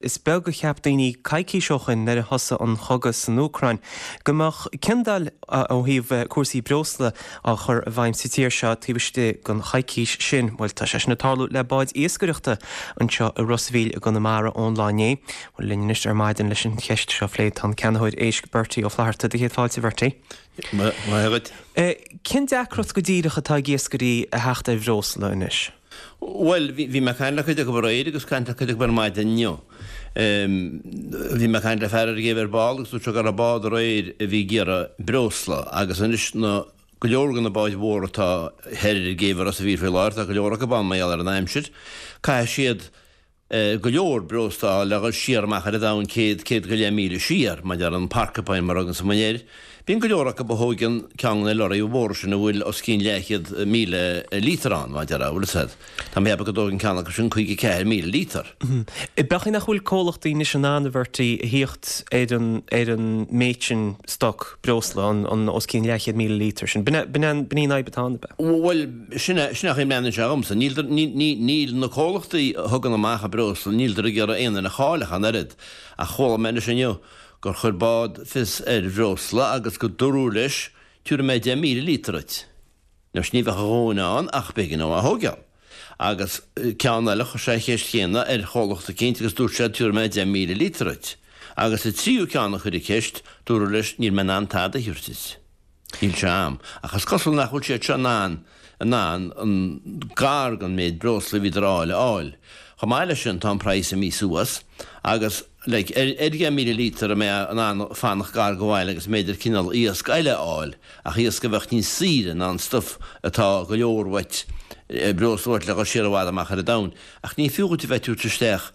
Is beag a cheap daoine coicís ó shoin nuair a thosaigh an chogadh san Úcráin go mbeadh ciondáil ó thaobh cúrsaí breosla á chur i bhfeidhm sa tír seo taobh istigh den choicís sin. Bhuel, tá sé sin ag tarlú le báid iascaireachta anseo i Ros a' Mhíl i gConamara ón lá inné. Bhuel, linn anois ar maidin leis an cheist seo a phlé tá an ceannaitheoir éisc Bertie Ó Flatharta. Do chéad fáilte, a Bhertie. Maith agat. Cén deacracht go díreach atá ag iascairí a theacht ar bhreosla anois? Bhuel, bhí mé ag caint le cuid acu aréir agus caint le cuid acu ar maidin inniu. Bhí mé ag caint le fear ar an gcéibh ar ball agus dúirt sé go raibh bád aréir a bhí ag iarraidh breosla agus anois na, go leor de na báid mhóra atá thoir ar an gcéibh i Ros a' Mhíl faoi láthair, tá go leor acu ann mar gheall ar an aimsir, caithfidh siad go leor breosla a fháil le dhul siar amach ar an domhan 100, 100 go leith míle siar, mar a déarfá an Porcupine mar a thuganns muid air. Bíonn go leor acu a thóigeann ceann de na lorraí mhóra sin a bhfuil os cionn leathchéad míle líotar ann, mar a déarfá, bhfuil fhios a'd. Tá mé ag ceapadh go dtógann ceann acu sin 54,000 líotar. B'fhéidir nach bhfuil comhlachtaí anois in ann, a Bhertie, a thíocht ar an ar an méid sin stoc breosla, an an os cionn leathchéad míle líotar sin. B'in b'in b'in í an fhadhb atá ann, ab ea? Bhuel, Sin é, sin é an chaoi a mbreathnaíonn sé dhomsa. Níl, ní, ní, níl na comhlachtaí a thugann amach an breosla, níltear ag iarraidh aon duine a chailleadh ach an oiread. Ach chuala mé anois inniu gur chuir bád fios ar bhreosla agus go dúradh leis, tabharfaidh mé 10,000 líotar duit. Anois ní bheadh a dhóthain ann ach b'éigean dó é a thóigeáil. Agus ceann eile, chuir sé an cheist chéanna ar chomhlacht eicínt agus dúirt sé tabharfaidh mé 10,000 líotar duit. Agus an tríú ceann a chuir an cheist, dúradh leis níl mé in ann tada a thabhairt duit. Níl sé a'm. Ach is cosúil nach bhfuil siad seo in ann, in ann an gar don méid breosla a bhíodar a fháil a fháil. Chomh maith leis sin tá an praghas imithe suas agus like ar ar 10,000 líotar a mbeifeá in ann fanacht gar do bhaile agus b'fhéidir cineál iasc eile a fháil ach iasc a bheadh níos saoire ná an stuif atá go leor uait, breosla uait le dhul siar i bhfad amach ar an domhan. Ach ní fiú dhuit a bheith ag tabhairt isteach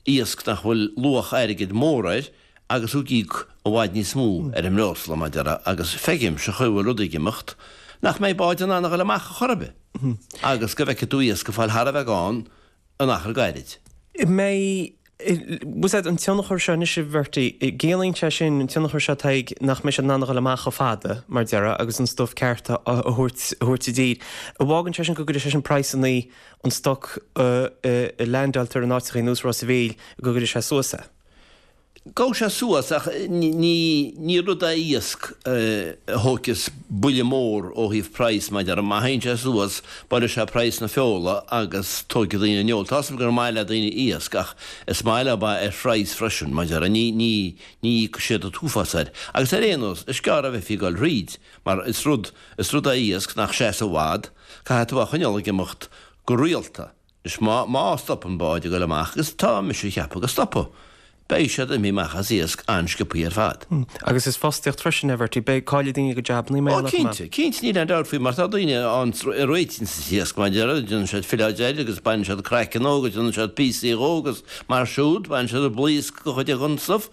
iasc nach bhfuil luach airgid mór air agus thú ag íoc i bhfad níos mó ar an mbreosla, mar a déarfá, agus feicim, sa chaoi a bhfuil rudaí ag imeacht, nach mbeidh báid in ann a dhul amach ar chor ar bith, agus go bhfeicfidh tú iasc ag fáil thar a bheith gann in achar gairid. Mbeidh, bhfuil fhios a'd, an tionchar seo anois, a Bhertie, ciallaíonn sé sin, an tionchar seo atá ag, nach mbeidh siad in ann a dhul amach chomh fada, mar a déarfá, agus an stuif ceart a thabhairt, a thabhairt i dtír. An bhfágann sé sin go gcuirfidh sé sin praghsanna an stoc a leaindeáiltear in áiteacha ar nós Ros a' Mhíl, go gcuirfidh sé suas é? Gabhfaidh sé suas ach ní rud é iasc a thóigfeas buille mór ó thaobh praghas mar a déarfá. Má théann sé suas, buailfidh sé praghas na feola agus tógfaidh daoine an fheoil. Tá's agam gur maith le daoine iasc ach is maith leo é ar phraghas freisin, mar a déarfá. Ní, ní, ní íocfaidh siad an t-uafás air. Agus ar aon nós, is gearr a bheifí ag dul thríd mar is rud, is rud é iasc nach seas i bhfad, caithfidh tú é a choinneáil ag imeacht go rialta. Anois má, má stopann báid ag goil amach, agus tá mise ag ceapadh go stopfaidh, beidh siad imithe amach as iasc an-sciobthaí ar fad. Agus is fostaíocht freisin é, Bhertie. Beidh, caillfidh daoine a gcuid jabannaí mar Ó, gheall air chomh maith. cinnte, cinnte, níl aon dabht faoi mar tá daoine ann a réitíonns an t-iasc, mar a déarfá, déanann siad filleáid air agus baineann siad craiceann dhó agus déanann siad píosaí dhó agus mar siúd, baineann siad an blaosc go chuid den stuif.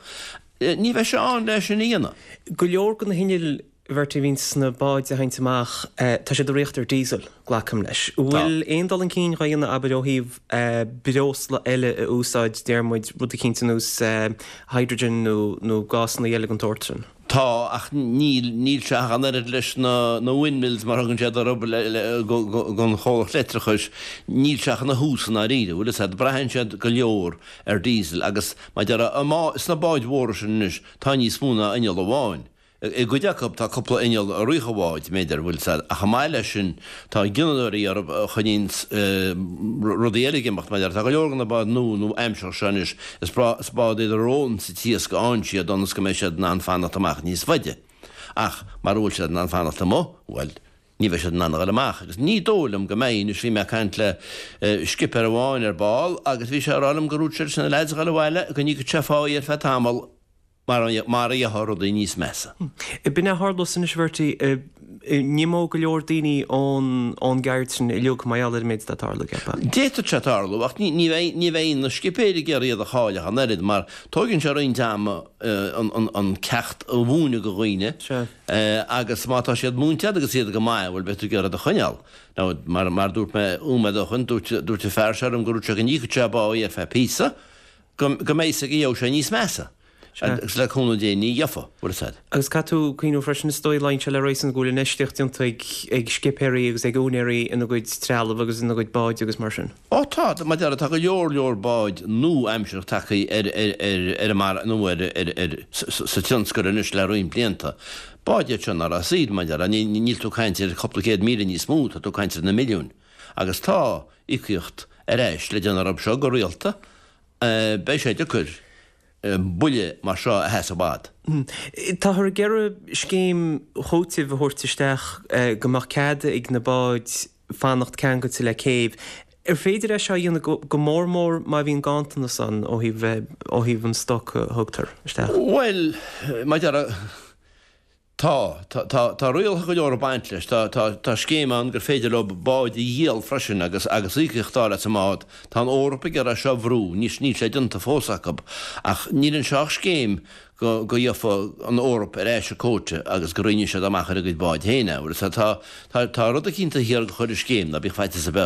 Ní bheidh sé ann le sin a dhéanamh. Go leor de na hinnill Bhertie, a bhíonn sna báid a théanns amach, tá siad ag rith ar diesel, glacaim leis. An bhfuil aon dul chun cinn dhá dhéanamh, abair, ó thaobh breosla eile a úsáid, deir muid, rud eicínt ar nós hydrogen nó nó gásanna eile den tsórt sin? Tá, ach níl, níl sé ach an oiread leis na na windmills mar a thugann siad orthu le le don chomhlacht leictreachais, níl sé ach ina thús i ndáiríre, bhfuil fhios a'd, braitheann siad go leor ar diesel agus mar a déarfá, sna báid mhóra sin anois, tá níos mó ná inneall amháin. I gcuid acu tá cúpla inneall ag rith an bháid, b'fhéidir, bhfuil 's a'd, ach chomh maith leis sin tá gineadóirí orthu a choinníonns rudaí eile ag imeacht, mar tá go leor de na báid nua nó aimseartha seo anois, is is báid iad a rólanns an t-iasc a fhaigheann siad ionas go mbeidh siad in ann fanacht amach níos faide. Ach mara bhfuil siad in ann fanacht amuigh, bhuel, ní bheidh siad in ann a dhul amach. Agus ní dóigh liom go mbeidh, anois bhí mé ag caint le scipéir amháin ar ball agus bhí sé ag rá liom gur dhúirt sé leis na leaids a dhul abhaile go n-íocfadh sé pháí ar feadh tamall, Mar a gheofá rudaí níos measa. B'in é a tharlós anois, a Bhertie, n-imeodh go leor daoine ón gceird sin uilig mar gheall ar an méid atá ag tarlú, ceapfá? D'fhéadfadh sé tarlú, ach ní bheidh na scipéirí ag iarraidh iad a chailleadh an oiread, mar tóigeann sé roinnt ama an ceacht a mhúineadh do dhaoine agus má tá siad múinte agat agus iad go maith, bhuel, beidh tú ag iarraidh iad a choinneáil. Now, mar a dúirt mé nóiméad ó shoin, dúirt an fear seo liom go ndúirt sé go n-íocfadh sé a bpáí ar feadh píosa, go mbeidh 's aige gheobhaidh sé níos measa. Agus le cúnamh Dé ní gheofa, bhfuil fhios a'd. Agus caithfidh tú cuimhniú freisin is dóigh luíonn sé le réasún go bhfuil infheistíocht déanta ag ag scipéirí agus ag úinéirí ina gcuid trealamh agus ina gcuid báid agus mar sin. Ó tá, mar a déarfá, tá go leor leor báid nua-aimseartha tagtha ar ar ar ar an mar nó ar ar ar sa tionscal anois le roinnt blianta. Báid iad seo nach raibh saor, mar a déarfá, níl tú ag caint ar chúpla 100,000 níos mó, tá tú ag caint ar na milliúin. Agus tá íocaíocht ar ais le déanamh orthu seo go rialta, beidh sé deacair buille mar seo a sheasamh i bhfad. Táthar ag iarraidh scéim chúitimh a thabhairt isteach go mbeadh cead ag na báid fanacht ceangailte le céibh. Ar féidir é seo a dhéanamh go mór mór má bhíonn ganntanas ann ó thaobh ó thaobh an stoc a thugtar isteach? Bhuel, mar a déarfá, Tá. Tá, tá, tá rialacha go leor ag baint leis. Tá, tá, tá scéim ann gur féidir leo báid a dhíol freisin agus, agus íocaíocht a fháil as an mbád. Tá an Eoraip ag iarraidh seo a bhrú, níl, níl sé déanta fós acu. Ach níl anseo ach scéim go, go gheofa an Eoraip ar ais an quota agus go roinnfidh siad amach ar a gcuid báid féin é. Bhuel, tá, tá, tá rud eicínt thiar go chuir an scéim, ná bíodh faitíos ar bith ort.